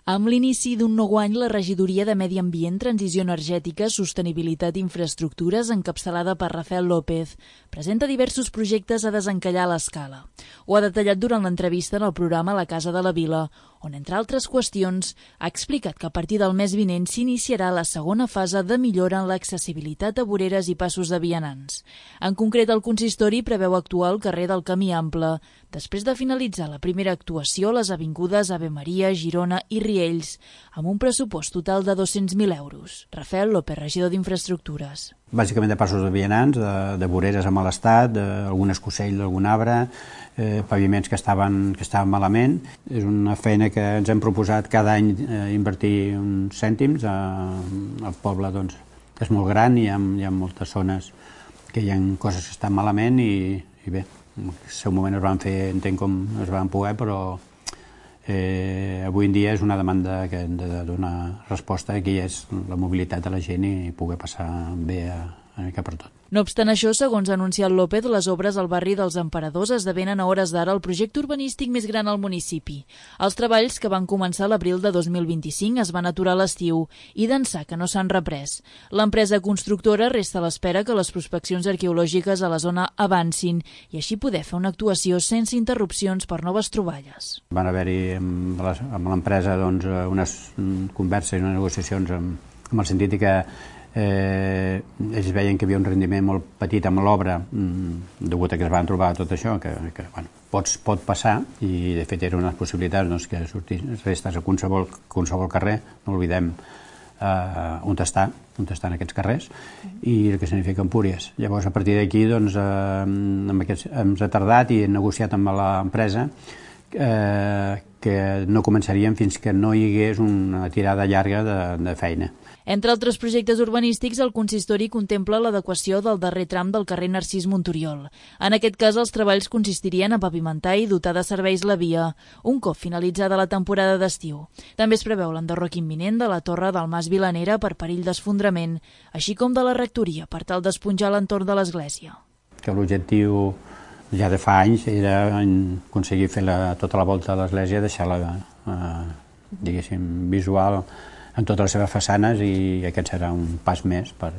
Amb l'inici d'un nou any, la Regidoria de Medi Ambient, Transició Energètica, Sostenibilitat i Infraestructures, encapçalada per Rafael López, presenta diversos projectes a desencallar a l'escala. Ho ha detallat durant l'entrevista en el programa La Casa de la Vila, on, entre altres qüestions, ha explicat que a partir del mes vinent s'iniciarà la segona fase de millora en l'accessibilitat a voreres i passos de vianants. En concret, el consistori preveu actuar al carrer del Camí Ample, després de finalitzar la primera actuació a les avingudes Ave Maria, Girona i Riells, amb un pressupost total de 200.000 euros. Rafael López, regidor d'Infraestructures. Bàsicament de passos de vianants, de voreres en mal estat, d'algun escocell d'algun arbre, paviments que estaven malament. És una feina que ens hem proposat cada any invertir uns cèntims. El poble és molt gran i hi ha moltes zones que hi ha coses que estan malament i bé, en el seu moment es van fer, entenc com es van poder, però avui en dia és una demanda que hem de donar resposta, que és la mobilitat de la gent i poder passar bé una mica per tot. No obstant això, segons ha anunciat López, les obres al barri dels Emperadors esdevenen a hores d'ara el projecte urbanístic més gran al municipi. Els treballs, que van començar a l'abril de 2025, es van aturar a l'estiu i d'ençà que no s'han reprès. L'empresa constructora resta a l'espera que les prospeccions arqueològiques a la zona avancin i així poder fer una actuació sense interrupcions per noves troballes. Van haver-hi amb l'empresa unes converses i unes negociacions amb el sentit que ells veien que hi havia un rendiment molt petit amb l'obra degut a que es van trobar tot això que pot passar, i de fet eren unes possibilitats que restes a qualsevol carrer, no oblidem on estan aquests carrers i el que significa Empúries. Llavors, a partir d'aquí hem retardat i hem negociat amb l'empresa que no començaríem fins que no hi hagués una tirada llarga de feina. Entre altres projectes urbanístics, el consistori contempla l'adequació del darrer tram del carrer Narcís Monturiol. En aquest cas, els treballs consistirien a pavimentar i dotar de serveis la via, un cop finalitzada la temporada d'estiu. També es preveu l'enderroc imminent de la torre del Mas Vilanera per perill d'esfondrament, així com de la rectoria per tal d'esponjar l'entorn de l'església. Que l'objectiu ja de fa anys era aconseguir fer tota la volta de l'església, deixar-la, diguéssim, visual en totes les seves façanes, i aquest serà un pas més per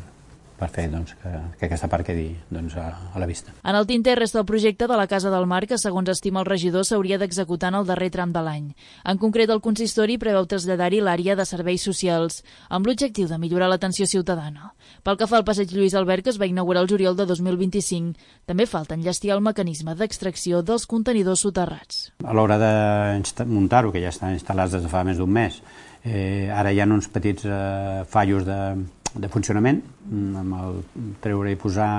fer que aquesta part quedi a la vista. En el tinter resta el projecte de la Casa del Mar, que, segons estima el regidor, s'hauria d'executar en el darrer tram de l'any. En concret, el consistori preveu traslladar-hi l'àrea de serveis socials, amb l'objectiu de millorar l'atenció ciutadana. Pel que fa al passeig Lluís Albert, que es va inaugurar el juliol de 2025, també falta enllestir el mecanisme d'extracció dels contenidors soterrats. A l'hora de muntar-ho, que ja estan instal·lats des de fa més d'un mes, ara hi ha uns petits fallos de funcionament, amb el treure i posar.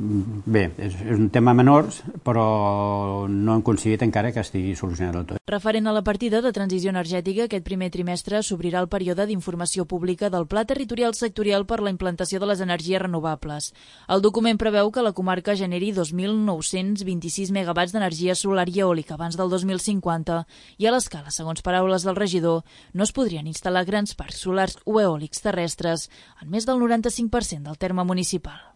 Bé, és un tema menor, però no hem aconseguit encara que estigui solucionat del tot. Referent a la partida de transició energètica, aquest primer trimestre s'obrirà el període d'informació pública del Pla Territorial Sectorial per la implantació de les energies renovables. El document preveu que la comarca generi 2.926 megawatts d'energia solar i eòlica abans del 2050 i a l'escala, segons paraules del regidor, no es podrien instal·lar grans parcs solars o eòlics terrestres en més del 95% del terme municipal.